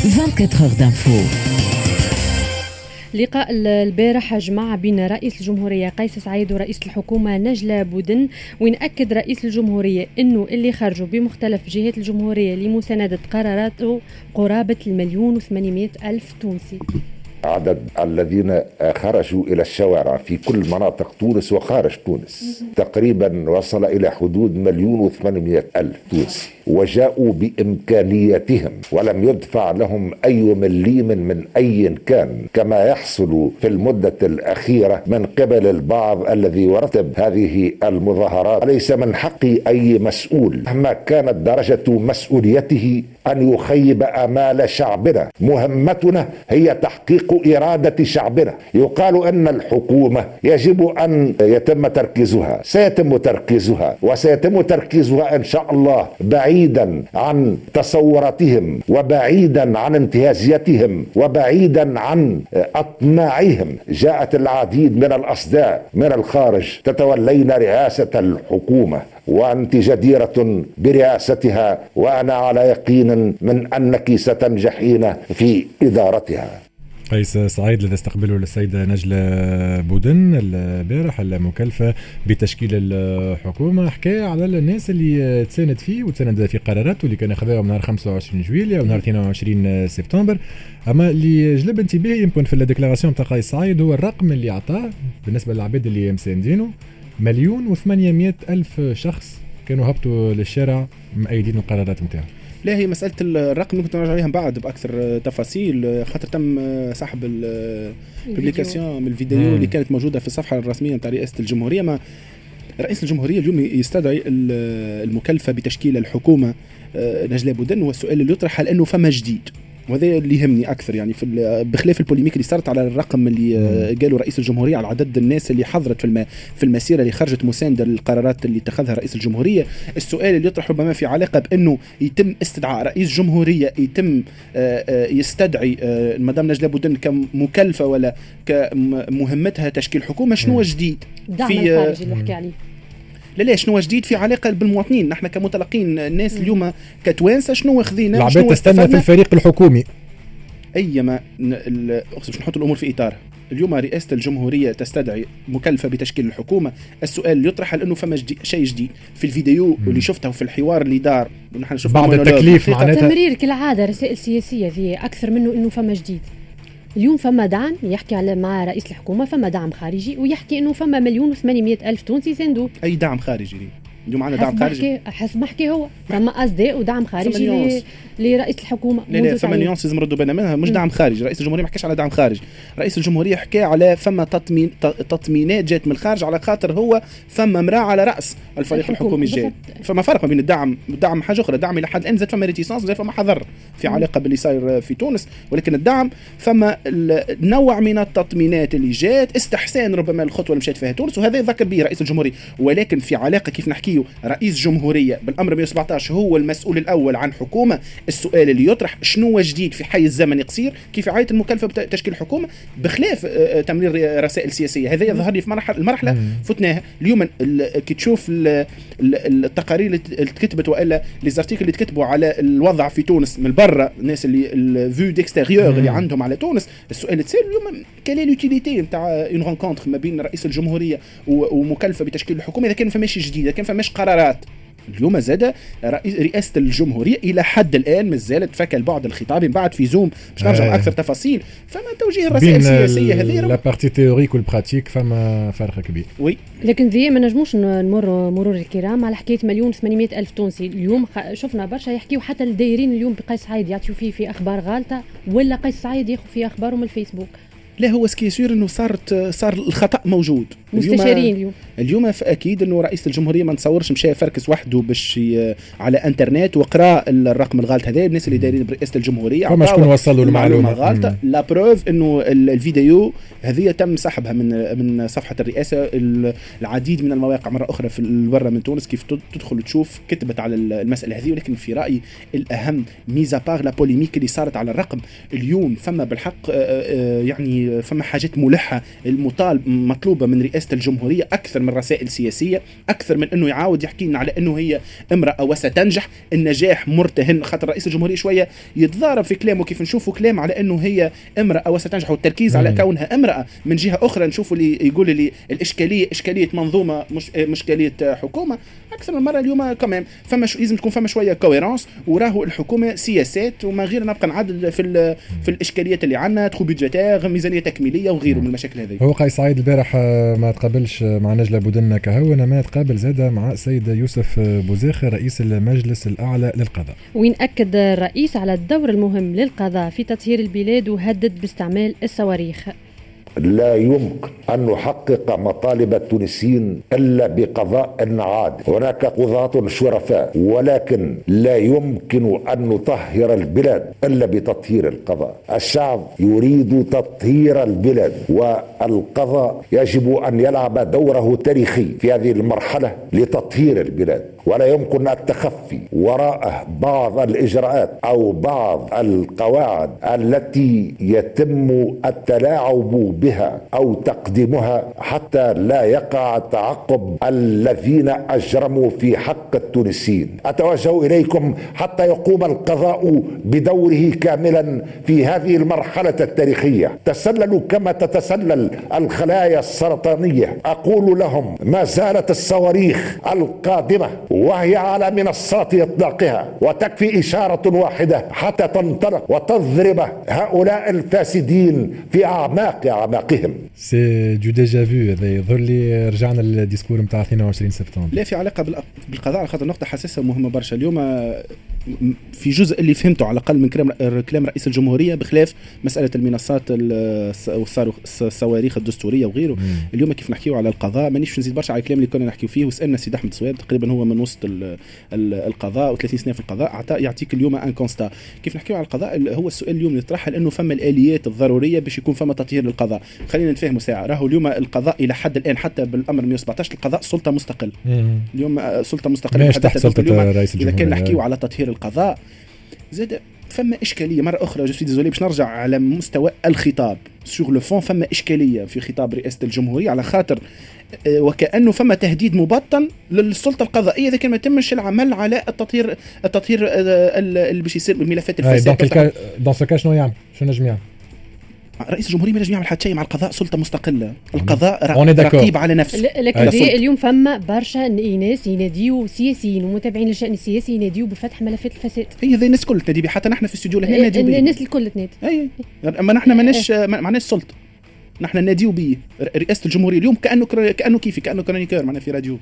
24 heures d'info. لقاء البارح جمع بين رئيس الجمهورية قيس سعيد ورئيس الحكومة نجلة بودن، وين أكد رئيس الجمهورية أنه اللي خرجوا بمختلف جهات الجمهورية لمساندة قراراته قرابة 1,800,000 تونسي. عدد الذين خرجوا إلى الشوارع في كل مناطق تونس وخارج تونس تقريبا وصل إلى حدود 1,800,000 تونسي، وجاءوا بإمكانياتهم ولم يدفع لهم أي مليم من أي كان، كما يحصل في المدة الأخيرة من قبل البعض الذي يرتب هذه المظاهرات. ليس من حق أي مسؤول مهما كانت درجة مسؤوليته أن يخيب آمال شعبنا. مهمتنا هي تحقيق إرادة شعبنا. يقال أن الحكومة يجب أن يتم تركيزها، سيتم تركيزها وسيتم تركيزها إن شاء الله بعيدا عن تصوراتهم وبعيدا عن انتهازيتهم وبعيدا عن أطماعهم. جاءت العديد من الأصداء من الخارج تتولين رئاسة الحكومة، وأنت جديرة برئاستها، وأنا على يقين من أنك ستنجحين في إدارتها. قيس سعيد الذي استقبله السيدة نجلة بودن البارح المكلفة بتشكيل الحكومة، حكى على الناس اللي تساند فيه وتساند في قراراته اللي كان أخذها نهار 25 جويلية ونهار 22 سبتمبر. أما اللي جلب انتباهي يمكن في ال déclaration تاع قيس سعيد هو الرقم اللي أعطاه بالنسبة للعباد اللي مساندينه، 1,800,000 شخص كانوا هبطوا للشارع مؤيدين القرارات نتاعو. لا، هي مسألة الرقم ممكن نرجع عليها من بعد بأكثر تفاصيل، خاطر تم سحب ال publication من الفيديو اللي كانت موجودة في الصفحة الرسمية نتاع رئاسة الجمهورية. ما رئيس الجمهورية اليوم يستدعي المكلفة بتشكيل الحكومة نجلاء بودن، والسؤال اللي يطرح هل أنه فما جديد؟ وهذا اللي يهمني اكثر، يعني في بخلاف ال polémique اللي صارت على الرقم اللي قالوا رئيس الجمهورية على عدد الناس اللي حضرت في المسيرة اللي خرجت مساندة للقرارات اللي اتخذها رئيس الجمهورية. السؤال اللي يطرح ربما في علاقة بانه يتم استدعاء رئيس جمهورية، يتم يستدعي المدام نجلاء بودن كمكلفه ولا كمهمتها تشكيل حكومة، شنو جديد في الخارج اللي حكي عليه؟ لا، شنو جديد في علاقة بالمواطنين؟ نحن كمتلقين الناس اليوم كتوانسه شنو خذينا؟ العباد تستنى في الفريق الحكومي. ايما باش نحط الامور في اطارها، اليوم رئاسة الجمهورية تستدعي مكلفة بتشكيل الحكومة. السؤال اللي يطرح هل انه فما شيء جديد في الفيديو اللي شفته في الحوار اللي دار ونحن شفنا بعد التكليف، معناتها تمرير كالعادة رسائل سياسية ذي اكثر منه انه فما جديد. اليوم فما دعم يحكي على مع رئيس الحكومة، فما دعم خارجي ويحكي انه فما 1,800,000 تونسي ساندوه. اي دعم خارجي اليوم عندنا دعم خارجي؟ حسب ما حكي هو فما اصداء ودعم خارجي لرئيس الحكومة. لا، فما nuance لازم نردوا بالنا منها، مش دعم خارجي. رئيس الجمهورية ما حكاش على دعم خارجي، رئيس الجمهورية حكى على فما تطمينات جات من الخارج على خاطر هو فما امراة على راس الفريق الحكومي الجاي. فما فرق ما بين الدعم والدعم حاجة اخرى. الدعم الى حد الان زاد فما réticence، زاد فما حذر في علاقة باللي صاير في تونس، ولكن الدعم فما نوع من التطمينات اللي جات، استحسان ربما الخطوة اللي مشات فيها تونس، وهذا يذكر به رئيس الجمهورية. ولكن في علاقة كيف نحكيه رئيس جمهورية بالامر 117 هو المسؤول الاول عن حكومة، السؤال اللي يطرح شنو جديد في حيز زمني قصير كيف عاية المكلفه بتشكيل حكومة بخلاف تمرير رسائل سياسية؟ هذا يظهر لي في المرحلة فتناها اليوم. كي تشوف التقارير اللي تكتبت والا les articles اللي تكتبوا على الوضع في تونس من برا، الناس اللي ال vue d'extérieur اللي عندهم على تونس، السؤال اللي تسال اليوم quelle est l'utilité نتاع une rencontre ما بين رئيس الجمهورية ومكلفه بتشكيل الحكومة اذا كان فماش جديد، اذا كان فماش قرارات. اليوم زاد رئاسة الجمهورية إلى حد الآن مازالت فك البعد الخطابي، من بعد في zoom باش نرجع أكثر تفاصيل. فما توجيه الرسائل السياسية هذه la partie théorique وال pratique فما فرق كبير. oui، لكن ذي ما نجموش نمر مرور الكرام على حكاية 1,800,000 تونسي. اليوم شفنا برشا يحكيو حتى الدايرين اليوم بقيس سعيد يعطيو فيه في أخبار غالطة، ولا قيس سعيد ياخذ في أخباره من الفيسبوك. لا، هو ce qui est sûr انه صار الخطا موجود. مستشارين اليوم اكيد انه رئيس الجمهورية ما نتصورش مشى فركس وحده باش على انترنت وقرا الرقم الغلط هذا. الناس اللي دايرين برئاسة الجمهورية فما شكون وصلوا المعلومة غلطه. la preuve انه الفيديو هذه تم سحبها من صفحة الرئاسة. العديد من المواقع مرة اخرى في برا من تونس كيف تدخل وتشوف كتبت على المسالة هذه. ولكن في رايي الاهم mis à part la polémique اللي صارت على الرقم اليوم، فما بالحق يعني يعني فما حاجات ملحة المطالب مطلوبه من رئاسة الجمهورية اكثر من رسائل سياسية، اكثر من انه يعاود يحكي لنا على انه هي امراة وستنجح. النجاح مرتهن، خاطر رئيس الجمهورية شوية يتضارب في كلامه كيف نشوفوا كلام على انه هي امراة وستنجح والتركيز على كونها امراة. من جهة اخرى نشوفوا اللي يقول لي الاشكالية اشكالية منظومة مش اشكالية حكومة. اكثر من مرة اليوم كمان فما لازم تكون فما شوية cohérence، وراهو الحكومة سياسات وما غير نبقى نعدل في الاشكاليات اللي عندنا، trou budgétaire، ميزانية تكميليه وغيره من المشاكل هذه. هو قيس سعيد البارح ما تقابلش مع نجلة بودن كهو، ما تقابل زاده مع السيد يوسف بوزاخ رئيس المجلس الاعلى للقضاء، وين اكد الرئيس على الدور المهم للقضاء في تطهير البلاد وهدد باستعمال الصواريخ. لا يمكن أن نحقق مطالب التونسيين إلا بقضاء عادل. هناك قضاة شرفاء، ولكن لا يمكن أن نطهر البلاد إلا بتطهير القضاء. الشعب يريد تطهير البلاد، والقضاء يجب أن يلعب دوره التاريخي في هذه المرحلة لتطهير البلاد، ولا يمكن التخفي وراء بعض الإجراءات أو بعض القواعد التي يتم التلاعب بها أو تقديمها حتى لا يقع تعقب الذين أجرموا في حق التونسيين. أتوجه إليكم حتى يقوم القضاء بدوره كاملا في هذه المرحلة التاريخية. تسللوا كما تتسلل الخلايا السرطانية. أقول لهم ما زالت الصواريخ القادمة وهي على منصات إطلاقها، وتكفي إشارة واحدة حتى تنطلق وتضرب هؤلاء الفاسدين في أعماق أعماقهم. c'est du déjà vu. هذا يظهر لي رجعنا لل discours نتاع 22 سبتمبر. لا في علاقة بالقضاء، على خاطر نقطة حساسة ومهمة برشا اليوم. في جزء اللي فهمته على الأقل من كلام رئيس الجمهورية بخلاف مسألة المنصات والصواريخ الدستورية وغيره. اليوم كيف نحكيو على القضاء مانيش نزيد برشا على الكلام اللي كنا نحكيو فيه، وسألنا سيد أحمد صواب تقريبا هو من وسط القضاء و30 سنة في القضاء، يعطيك اليوم un constat. كيف نحكيو على القضاء هو السؤال اليوم اللي يطرح لأنه فما الآليات الضرورية باش يكون فما تطهير للقضاء. خلينا نتفاهموا ساعة، راهو اليوم القضاء إلى حد الآن حتى بالأمر 117 القضاء سلطة مستقل. اليوم سلطة مستقلة. إذا كان نحكيو على تطهير القضاء زاد فما إشكالية مرة أخرى. je suis désolé باش نرجع على مستوى الخطاب sur le fond. فما إشكالية في خطاب رئاسة الجمهورية على خاطر وكأنه فما تهديد مبطن للسلطة القضائية إذا كان ما تمش العمل على التطهير اللي باش يصير بملفات الفساد. dans ce cas شنو يعمل؟ شنو نجم يعمل؟ رئيس الجمهورية ما ينجم يعمل حتى شيء مع القضاء، سلطة مستقلة، القضاء رقيب على نفسه. لكن اليوم فما برشا ناس يناديوا سياسيين ومتابعين للشأن السياسي يناديوا بفتح ملفات الفساد. هي ذي الناس الكل تنادي، حتى نحن في الاستوديو لهنا ناديو بيه. الناس الكل تنادي. اي اما نحن ماناش سلطة، نحن ناديو بيه. رئاسة الجمهورية اليوم كأنه كيفي كأنه chroniqueur معنا في راديو.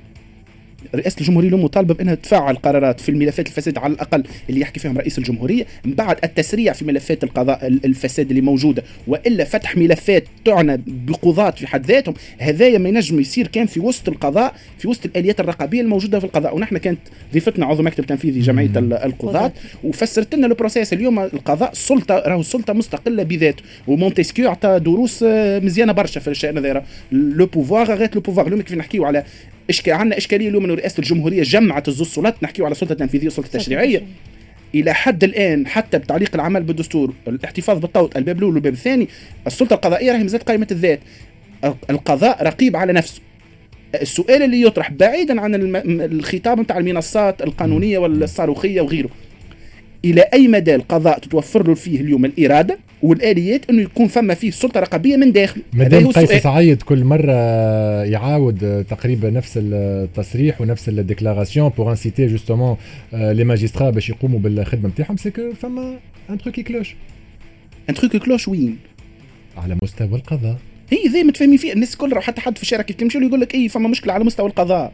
رئاسة الجمهورية اليوم مطالبة بأنها تفعل قرارات في الملفات الفساد على الأقل اللي يحكي فيهم رئيس الجمهورية، من بعد التسريع في ملفات القضاء الفساد اللي موجودة، وإلا فتح ملفات تعنى بقضاة في حد ذاتهم. هذايا ما ينجم يصير كان في وسط القضاء، في وسط الآليات الرقابية الموجودة في القضاء. ونحن كانت ضيفتنا عضو مكتب تنفيذي جمعية القضاة وفسرت لنا ال processus. اليوم القضاء سلطة، راهو سلطة مستقلة بذاته، ومونتسكيو عطى دروس مزيانة برشا في الشأن هذا. le pouvoir arrête le pouvoir. اليوم كيف نحكيو على عندنا إشكالية اليوم أن رئاسة الجمهورية جمعت الزوج سلطات، نحكيو على السلطة التنفيذية والسلطة التشريعية. إلى حد الآن حتى بتعليق العمل بالدستور، الاحتفاظ بالطوط، الباب الأول والباب الثاني، السلطة القضائية راهي مازالت قائمة الذات. القضاء رقيب على نفسه. السؤال اللي يطرح بعيدا عن الخطاب نتاع المنصات القانونية والصاروخية وغيره، إلى أي مدى القضاء تتوفر له فيه اليوم الإرادة والآليات أنه يكون فما فيه سلطة رقابية من داخل؟ مادام قيس سعيد كل مرة يعاود تقريبا نفس التصريح ونفس ال déclaration pour inciter justement les magistrats باش يقوموا بالخدمة نتاعهم، c'est que فما un truc qui cloche. un truc qui cloche وين؟ على مستوى القضاء. هي ذي متفاهمين فيه الناس الكل، حتى حد في الشارع كيف تمشي يقول لك اي فما مشكلة على مستوى القضاء.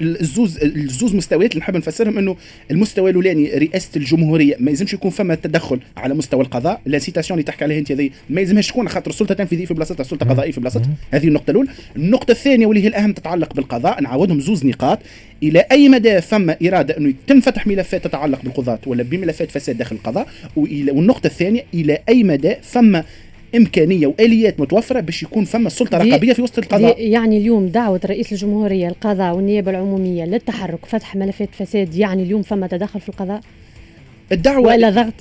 الزوز مستويات اللي نحب نفسرهم، انه المستوى الاولاني رئاسة الجمهورية ما يلزمش يكون فما تدخل على مستوى القضاء، l'incitation اللي تحكي عليها انت هذه ما يلزمهاش تكون، خاطر السلطة التنفيذية في بلاصتها، السلطة القضائية في بلاصتها. هذه النقطة الاولى. النقطة الثانية واللي هي الاهم تتعلق بالقضاء، نعاودهم زوز نقاط: الى اي مدى فما اراده انه يتم فتح ملفات تتعلق بالقضاة ولا بملفات فساد داخل القضاء، والنقطة الثانية الى اي مدى فما إمكانية وآليات متوفرة باش يكون فما سلطة رقابية في وسط القضاء. يعني اليوم دعوة رئيس الجمهورية القضاء والنيابة العمومية للتحرك فتح ملفات فساد، يعني اليوم فما تدخل في القضاء؟ الدعوة ولا ضغط؟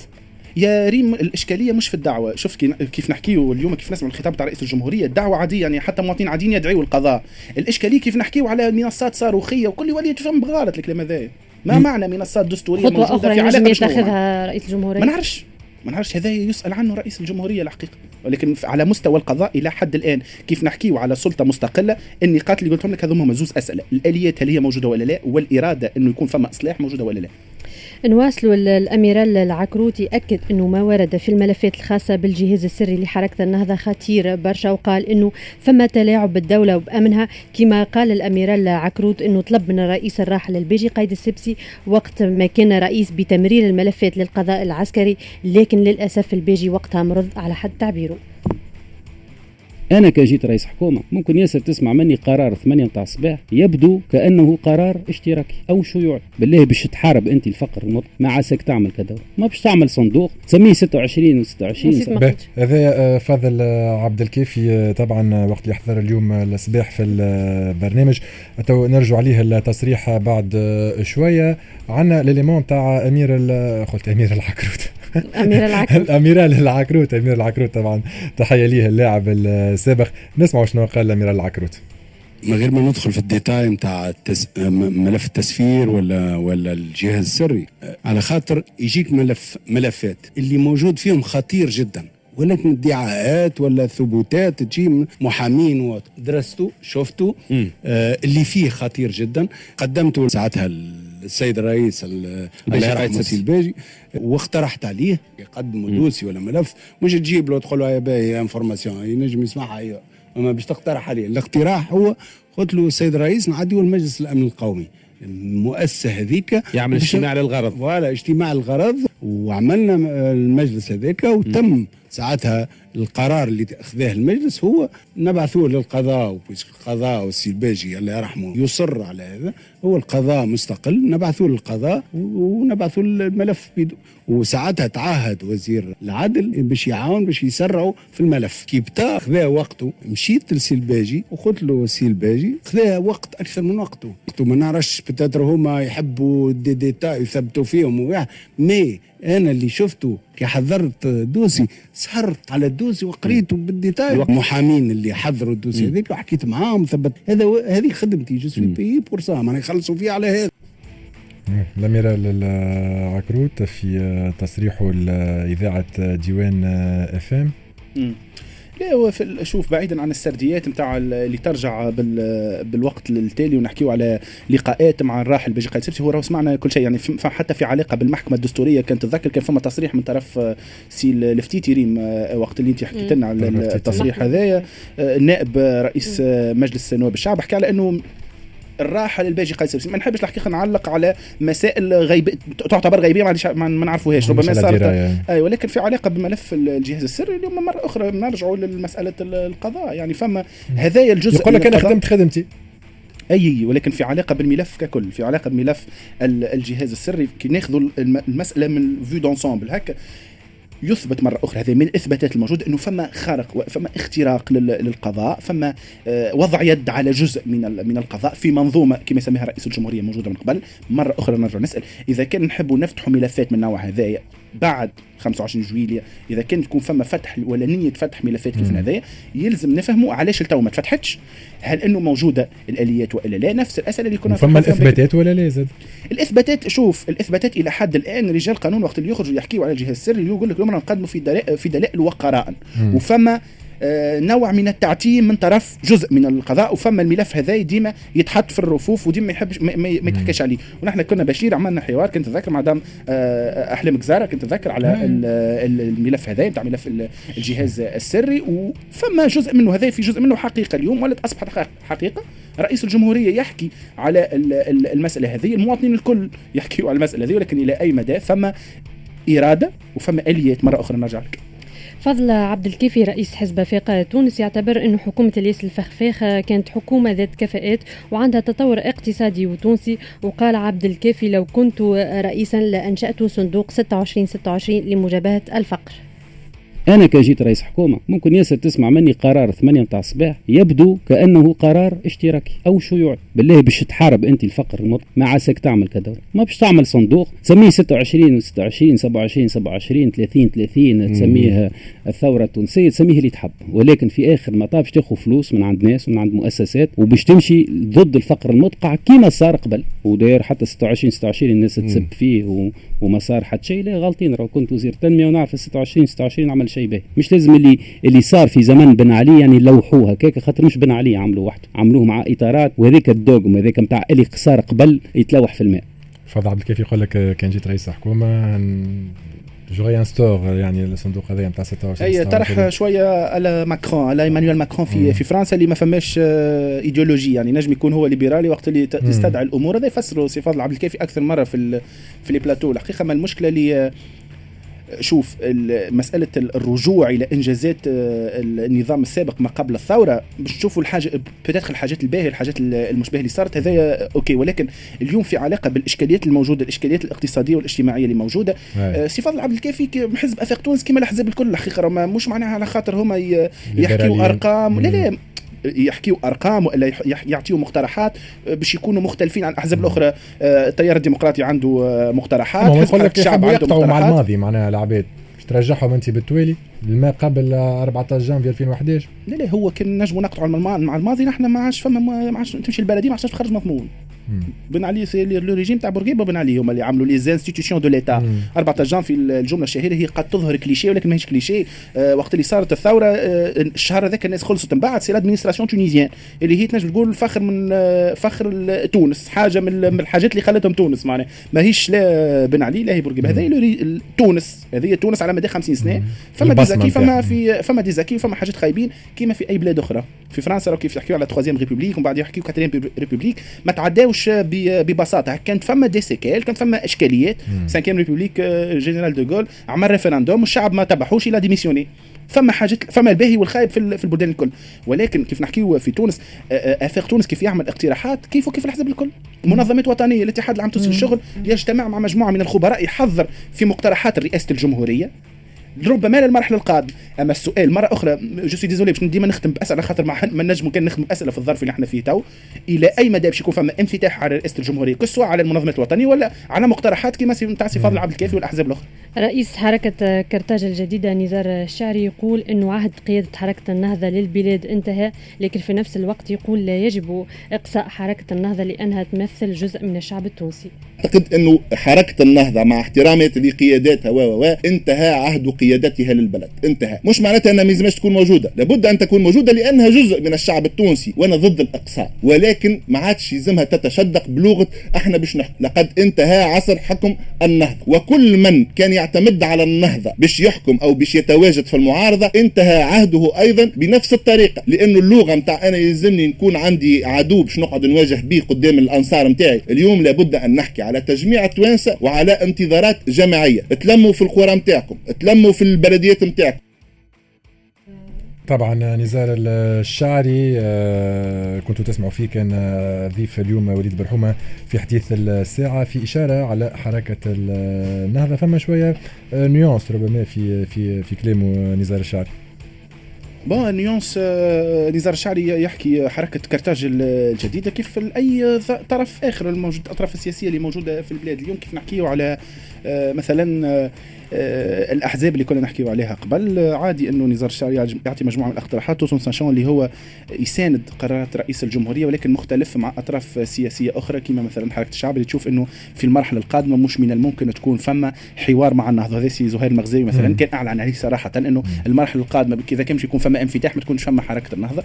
يا ريم الاشكالية مش في الدعوة. شفت كيف نحكيو اليوم، كيف نسمع الخطاب تاع رئيس الجمهورية، الدعوة عادية يعني حتى مواطنين عاديين يدعيوا القضاء. الاشكالية كيف نحكيو على منصات صاروخيه وكل يولي تفهم بغلط الكلام هذا. ما معنى منصات دستورية موجودة في علاقة يتخذها رئيس الجمهورية؟ ما نعرفش، هذا يسأل عنه رئيس الجمهورية الحقيقة. ولكن على مستوى القضاء إلى حد الآن كيف نحكيو على سلطة مستقلة، النقاط اللي قلتهم لك هذوما هما زوز أسئلة: الآليات هل هي موجودة ولا لا، والإرادة أنه يكون فما إصلاح موجودة ولا لا. نواصلوا. الأميرال العكروتي أكد أنه ما ورد في الملفات الخاصة بالجهاز السري لحركة النهضة خطير برشا، وقال أنه فما تلاعب بالدولة وبأمنها. كما قال الأميرال عكروت أنه طلب من الرئيس الراحل الباجي قايد السبسي وقت ما كان رئيس بتمرير الملفات للقضاء العسكري، لكن للأسف الباجي وقتها مرض على حد تعبيره. أنا كجيت رئيس حكومة ممكن ياسر تسمع مني قرار 8 متاع الصباح يبدو كأنه قرار اشتراكي أو شيوعي. بالله باش تحارب أنت الفقر المطلق ما عساك تعمل كذا، ما باش تعمل صندوق تسميه 26 و26. هذا فاضل عبد الكافي طبعا وقت اللي حضر اليوم الصباح في البرنامج، تو نرجع عليه التصريح بعد شوية. عندنا l'élément تاع أمير قلت أمير العكروت أميرال العكروت، أمير العكروت طبعا تحية ليه اللاعب السابق. نسمع شنو قال أميرال العكروت. من غير ما ندخل في ال détail نتاع ملف التسفير ولا الجهاز السري، على خاطر يجيك ملفات اللي موجود فيهم خطير جدا، ولكن ادعاءات ولا ثبوتات تجي محامين ودرسته شفته اللي فيه خطير جدا. قدمته ساعتها السيد الرئيس السي الباجي واقترحت عليه يقدموا dossier ولا ملف، مش تجيب له تقول له يا باهي information ينجم يسمعها، اما باش تقترح عليه. الاقتراح هو قلت له السيد الرئيس نعديه المجلس الامن القومي، المؤسسة هذيك يعمل اجتماع للغرض، voilà اجتماع للغرض، وعملنا المجلس هذاك وتم ساعتها القرار اللي اخذاه المجلس هو نبعثوه للقضاء، و puisque القضاء والسي الباجي الله يرحمه يصر على هذا، هو القضاء مستقل، نبعثوه للقضاء ونبعثوه الملف بيدو. وساعتها تعهد وزير العدل باش يعاون باش يسرعوا في الملف. كي بتا خذا وقته، مشيت لسي الباجي وقلت له سي الباجي خذا وقت اكثر من وقته، ما نعرفش peut-être هما يحبوا des détails يثبتوا فيهم، mais انا اللي شفته كي حضرت dossier سهرت على ال dossier وقريته بال détail، المحامين اللي حضروا ال dossier هذيك وحكيت معاهم ثبت هذه خدمتي، je suis payé pour ça، معناها يخلصوا فيه على هذا. الأميرال العكروت في تصريحه لإذاعة ديوان اف ام. لا هو شوف بعيدا عن السرديات نتاع اللي ترجع بالوقت التالي ونحكيو على لقاءات مع الراحل باجي قايد السبسي، هو راهو سمعنا كل شيء يعني، حتى في علاقة بالمحكمه الدستورية كانت تتذكر كان فما تصريح من طرف سي الفتيتي ريم وقت اللي انت حكيت لنا على التصريح هذايا، النائب رئيس مجلس نواب الشعب حكى على انه الراحل الباجي قايد السبسي. ما نحبش الحقيقة نعلق على مسائل غيب تعتبر غيبية ما نعرفوهاش، ربما صارت اي، ولكن في علاقة بملف الجهاز السري اليوم مرة اخرى نرجعوا للمسالة القضاء يعني، فما هذايا الجزء يقول لك انا خدمت خدمتي اي، ولكن في علاقة بالملف ككل، في علاقة بملف الجهاز السري كي ناخذوا المسالة من vue d'ensemble هكا يثبت مرة أخرى هذه من الإثباتات الموجودة أنه فما خرق، فما اختراق للقضاء، فما وضع يد على جزء من القضاء في منظومة كما يسميها رئيس الجمهورية موجودة من قبل. مرة أخرى نرجع نسأل إذا كان نحب نفتح ملفات من نوع هذايا بعد 25 جويلية، إذا كان تكون فما فتح ولا نية فتح ملفات كيف هذايا يلزم نفهموا علاش التو ما تفتحتش، هل أنه موجودة الآليات وإلا لا؟ نفس الأسئلة اللي كنا فما الإثباتات ولا لا؟ زاد الإثباتات، شوف الإثباتات إلى حد الآن رجال قانون وقت اللي يخرجوا يحكيوا على الجهاز السري يقول لك اليوم نقدموا في دلائل وقرائن، وفما نوع من التعتيم من طرف جزء من القضاء، وفما الملف هذا ديما يتحط في الرفوف وديما ما يحبش ما يتحكاش عليه. ونحن كنا بشير عملنا حوار كنت اتذكر مع دام احلام جزاره، كنت اتذكر على الملف هذا نتاع ملف الجهاز السري، وفما جزء منه هذا في جزء منه حقيقة اليوم ولات اصبحت حقيقة. رئيس الجمهورية يحكي على المسالة هذه، المواطنين الكل يحكيوا على المسالة هذه، ولكن الى اي مدى فما اراده وفما اليات؟ مرة اخرى نرجع لك. فضل عبد الكافي رئيس حزب آفاق تونس يعتبر أن حكومة الياس الفخفاخ كانت حكومة ذات كفاءات وعندها تطور اقتصادي وتونسي. وقال عبد الكافي لو كنت رئيسا لأنشأت صندوق 26-26 لمجابهة الفقر. انا كان جيت رئيس حكومة ممكن ياسر تسمع مني قرار 8 متاع الصباح يبدو كانه قرار اشتراكي او شيوعي. بالله باش تحارب انت الفقر المطلق ما عساك تعمل كدولة، ما باش تعمل صندوق تسميه 26 26 27 27 30 30، تسميه الثورة التونسية، تسميه اللي تحب، ولكن في اخر المطاف باش تاخذ فلوس من عند ناس ومن عند مؤسسات وباش تمشي ضد الفقر المدقع كيما صار قبل. وداير حتى 26 26 الناس تسب فيه وما صار حتى شيء. لا غلطين، راه كنت وزير تنمية ونعرف 26 26 عمل شيء به. مش لازم اللي صار في زمن بن علي يعني لوحوه هكاك، خاطر مش بن علي عملوه وحده، عملوه مع اطارات، وهذيك ال dogme هذاك نتاع اللي صار قبل يتلوح في الماء. فضل عبد الكافي يقول لك كان جيت رئيس حكومة je réinstaure يعني الصندوق هذا نتاع 26. اي طرح شوية على ماكرون، على ايمانويل ماكرون في فرنسا اللي ما فماش ايديولوجي، يعني نجم يكون هو ليبرالي وقت اللي تستدعي الامور. هذا يفسروا سي فاضل عبد الكافي اكثر مرة في les plateaux. الحقيقة ما المشكلة اللي شوف مسألة الرجوع إلى إنجازات النظام السابق ما قبل الثورة باش تشوفوا الحاجة peut-être الحاجات الباهية الحاجات المشبهة اللي صارت هذايا OK، ولكن اليوم في علاقة بالإشكاليات الموجودة، الإشكاليات الاقتصادية والاجتماعية اللي موجودة. سي فاضل عبد الكافي حزب آفاق تونس كما الأحزاب الكل الحقيقة مش معناها على خاطر هما يحكيوا أرقام، لا لا يحكيوا ارقام والا يعطيوا مقترحات باش يكونوا مختلفين عن الاحزاب الاخرى. التيار الديمقراطي عنده مقترحات، حزب الشعب عنده مقترحات. مع الماضي معناها العباد باش ترجعهم انت بالتوالي لما قبل 14 جانفي 2011. لا لا هو كان نجموا نقطعوا مع الماضي، نحن ما عادش فما، ما عادش تمشي البلدية ما عادش تخرج مضمون. بن علي le régime تاع بورقيبة بن علي هما اللي عملوا les institutions de l'État. 14 جانفي الجملة الشهيرة هي قد تظهر كليشيه ولكن ماهيش كليشيه. وقت اللي صارت الثورة الشهر هذاك الناس خلصت من بعد c'est l'administration tunisienne اللي هي تنجم تقول فخر من فخر تونس، حاجة من الحاجات اللي خلتهم تونس، معناها ماهيش لا بن علي لا هي بورقيبة، هذه تونس، هذه تونس على مدى 50 سنة. فما des acquis، فما في فما des acquis، فما حاجات خايبين كيما في اي بلاد اخرى. في فرنسا كيف يحكيوا على troisième république ومن بعد يحكيوا quatrième république ما تعداوش ببساطة، كانت فما des séquelles، كانت فما اشكاليات. cinquième république général de Gaulle عمل référendum والشعب ما تبعوش il a démissionné. فما حاجات، فما الباهي والخايب في البلدان الكل، ولكن كيف نحكيو في تونس افاق تونس كيف يعمل اقتراحات كيف وكيف الحزب الكل. منظمات وطنية، الاتحاد العام التونسي للشغل يجتمع مع مجموعة من الخبراء يحضر في مقترحات رئاسة الجمهورية ربما للمرحلة القادمة. اما السؤال مرة اخرى je suis désolé باش ديما نختم باسئلة خاطر ما نجموا كان نختم باسئلة في الظرف اللي احنا فيه تو، الى اي مدى باش يكون فما انفتاح على رئاسة الجمهورية que ce soit على المنظمات الوطنية ولا على مقترحات كما نتاع سي فاضل عبد الكافي والاحزاب الاخرى. رئيس حركة كرتاج الجديدة نزار الشعري يقول انه عهد قيادة حركة النهضة للبلاد انتهى، لكن في نفس الوقت يقول لا يجب اقصاء حركة النهضة لانها تمثل جزء من الشعب التونسي. اعتقد انه حركة النهضة مع احترامي لقياداتها و انتهى عهد قيادتها للبلد، انتهى. مش معناتها انها ما لازمش تكون موجودة، لابد ان تكون موجودة لانها جزء من الشعب التونسي وانا ضد الاقصاء، ولكن ما عادش يلزمها تتشدق بلغه احنا باش نحكم. لقد انتهى عصر حكم النهضة، وكل من كان يعتمد على النهضة باش يحكم او باش يتواجد في المعارضة انتهى عهده ايضا بنفس الطريقة، لانه اللغة نتاع انا يلزمني نكون عندي عدو باش نقعد نواجه به قدام الانصار نتاعي. اليوم لابد ان نحكي على تجميع التوانسة وعلى انتظارات جماعية. تلموا في القرى نتاعكم، تلموا في البلديات نتاعكم. طبعا نزار الشعري كنتوا تسمعوا فيه، كان ضيف اليوم وليد برحومة في حديث الساعة في إشارة على حركة النهضة. فما شوية nuance ربما في في في كلامه نزار الشعري. bon nuance نزار الشعري يحكي حركة كرتاج الجديدة كيف أي طرف آخر الموجود، الأطراف السياسية اللي موجودة في البلاد اليوم. كيف نحكيه على مثلا الأحزاب اللي كنا نحكيه عليها قبل، عادي أنه نزار الشعري يعطي مجموعة من الاقتراحات tout en sachant اللي هو يساند قرارات رئيس الجمهورية، ولكن مختلف مع أطراف سياسية أخرى كما مثلا حركة الشعب اللي تشوف أنه في المرحلة القادمة مش من الممكن تكون فما حوار مع النهضة. هذا سي زهير المغزاوي مثلا كان أعلن عليه صراحة أنه المرحلة القادمة إذا كان يكون فما انفتاح ما تكونش فما حركة النهضة.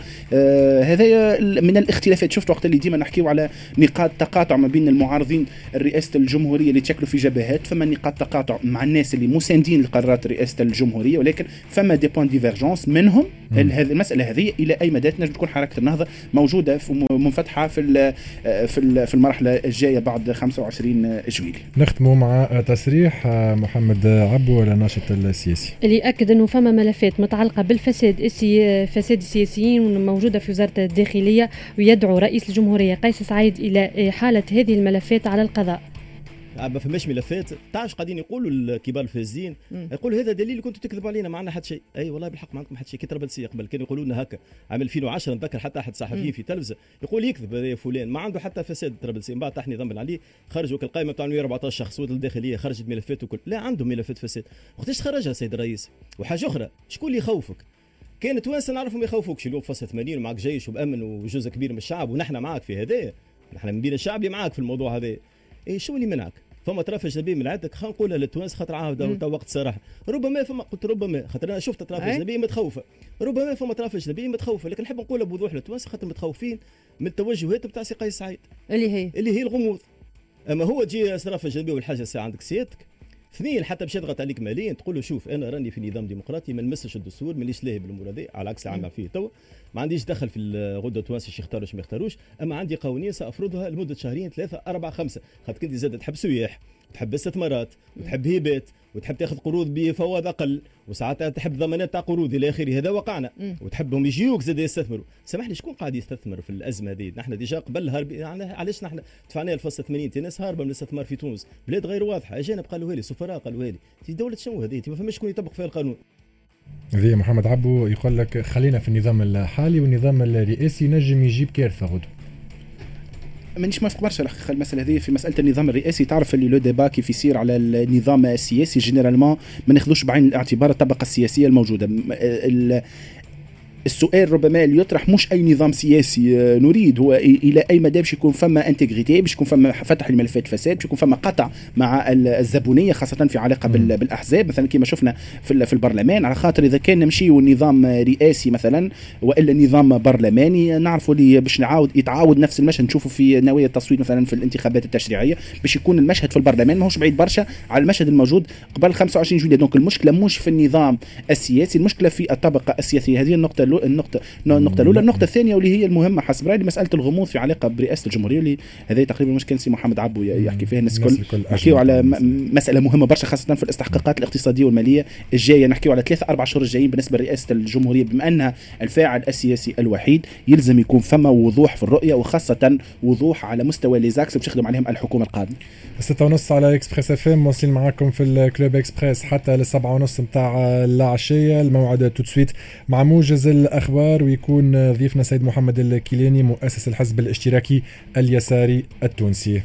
هذا من الاختلافات. شفت وقت اللي ديما نحكيو على نقاط تقاطع ما بين المعارضين رئاسة الجمهورية اللي تشكلوا في جبهات، فما نقاط تقاطع مع الناس اللي مساندين لقرارات رئاسة الجمهورية، ولكن فما des points de divergence منهم. هذه المسألة هذه إلى أي مدى تنجم تكون حركة النهضة موجودة منفتحة في في المرحلة الجاية بعد 25 جويلية. نختم مع تصريح محمد عبو الناشط السياسي اللي أكد أنه فما ملفات متعلقة بالفساد فساد السياسيين موجودة في وزارة الداخلية، ويدعو رئيس الجمهورية قيس سعيد إلى إحالة هذه الملفات على القضاء. ما فماش ملفات. تعرف قاعدين يقولوا الكبار الفاسدين، يقولوا هذا دليل كنتوا تكذبوا علينا، ما عندنا حتى شيء. اي والله بالحق ما عندكم حتى شيء. كي طرابلسيه قبل كانوا يقولوا لنا هكا عام 2010، نتذكر حتى احد الصحفيين في تلفزه يقول يكذب هذا فلان ما عنده حتى فساد طرابلسيه. من بعد طاح نظام بن علي، خرجوا القائمة بتاع 114 شخص الداخلية خرجت ملفات وكل، لا عندهم ملفات فساد. وقتاش خرجها سيد الرئيس؟ وحاجه اخرى، شكون اللي يخوفك؟ كان توانسة نعرفهم يخوفوك، اليوم فصل 80 ومعك جيش وبامن وجزء كبير من الشعب ونحن معاك في هذا، نحن من بين الشعب اللي معاك في الموضوع هذا. اي شو اللي منعك؟ فما اطراف اجنبية من عندك، خلينا نقولها للتوانسه خاطر عاود وقت صراحة، ربما فما، قلت ربما خاطر انا شفت اطراف اجنبية متخوفه، ربما فما اطراف اجنبية متخوفه، لكن نحب نقولها بوضوح للتوانسه خاطر متخوفين من التوجهات بتاع سي قيس سعيد اللي هي الغموض. اما هو تجي اطراف اجنبية والحاجة الساعة عندك سيادتك. اثنين، حتى باش يضغط عليك ماليا تقول له شوف انا راني في نظام ديمقراطي، ما نمسش الدستور، مانيش لاهي بالامور هذه، على عكس اللي عمل فيه تو، ما عنديش دخل في الغدة التوانسة ايش يختاروا ما يختاروش، اما عندي قوانين سافرضها لمدة شهرين 3 4 5، خاطر كنت زاد تحب سياح وتحب استثمارات وتحب هبات وتحب تاخذ قروض بفوائد اقل، وساعات تحب ضمانات تاع قروض الى اخره، هذا وقعنا. وتحبهم يجيوك زاد يستثمروا. سامحني شكون قاعد يستثمر في الازمة هذه؟ نحن déjà قبل هرب، يعني علاش نحن دفعنا الفصل 80 ناس هاربه من الاستثمار في تونس، بلاد غير واضحة، اجانب قالوا لي، سفراء قالوا لي، دولة شنو هذه؟ ما فماش شكون يطبق فيها القانون. ذي محمد عبو يقول لك خلينا في النظام الحالي، والنظام الرئاسي نجم يجيب كارثة غدوه. مانيش موافق برشا الحقيقة المسالة هذه في مسالة النظام الرئاسي. تعرف اللي le débat كيف يصير على النظام السياسي généralement ما ناخذوش بعين الاعتبار الطبقة السياسية الموجودة. السؤال ربما اللي يطرح مش اي نظام سياسي نريد، هو الى اي مدى باش يكون فما intégrité، باش يكون فما فتح لملفات فساد، باش يكون فما قطع مع الزبونيه خاصة في علاقة بالاحزاب مثلا كما شفنا في البرلمان. على خاطر اذا كان نمشيو نظام رئاسي مثلا والا نظام برلماني، نعرفوا اللي باش نعاود يتعاود نفس المشهد، نشوفوا في نوايا التصويت مثلا في الانتخابات التشريعية باش يكون المشهد في البرلمان ماهوش بعيد برشا على المشهد الموجود قبل 25 جويلية. donc المشكلة مش في النظام السياسي، المشكلة في الطبقة السياسية. هذه النقطة الاولى. النقطة الثانية واللي هي المهمة حسب رايي مسالة الغموض في علاقة برئاسة الجمهورية، اللي هذا تقريبا مش كان سي محمد عبو يحكي فيها. الناس الكل نحكيو على مسالة مهمة برشا خاصة في الاستحقاقات الاقتصادية والمالية الجاية، نحكيو على 3-4 شهور الجايين بالنسبة لرئاسة الجمهورية، بما انها الفاعل السياسي الوحيد يلزم يكون فما وضوح في الرؤية، وخاصة وضوح على مستوى les axes باش تخدم عليهم الحكومة القادمة. 6:30 على Express FM، واصلين معاكم في ال Club Express حتى ل7:30 نتاع العشية. الموعد tout de suite مع موجز الأخبار، ويكون ضيفنا سيد محمد الكيلاني مؤسس الحزب الاشتراكي اليساري التونسي.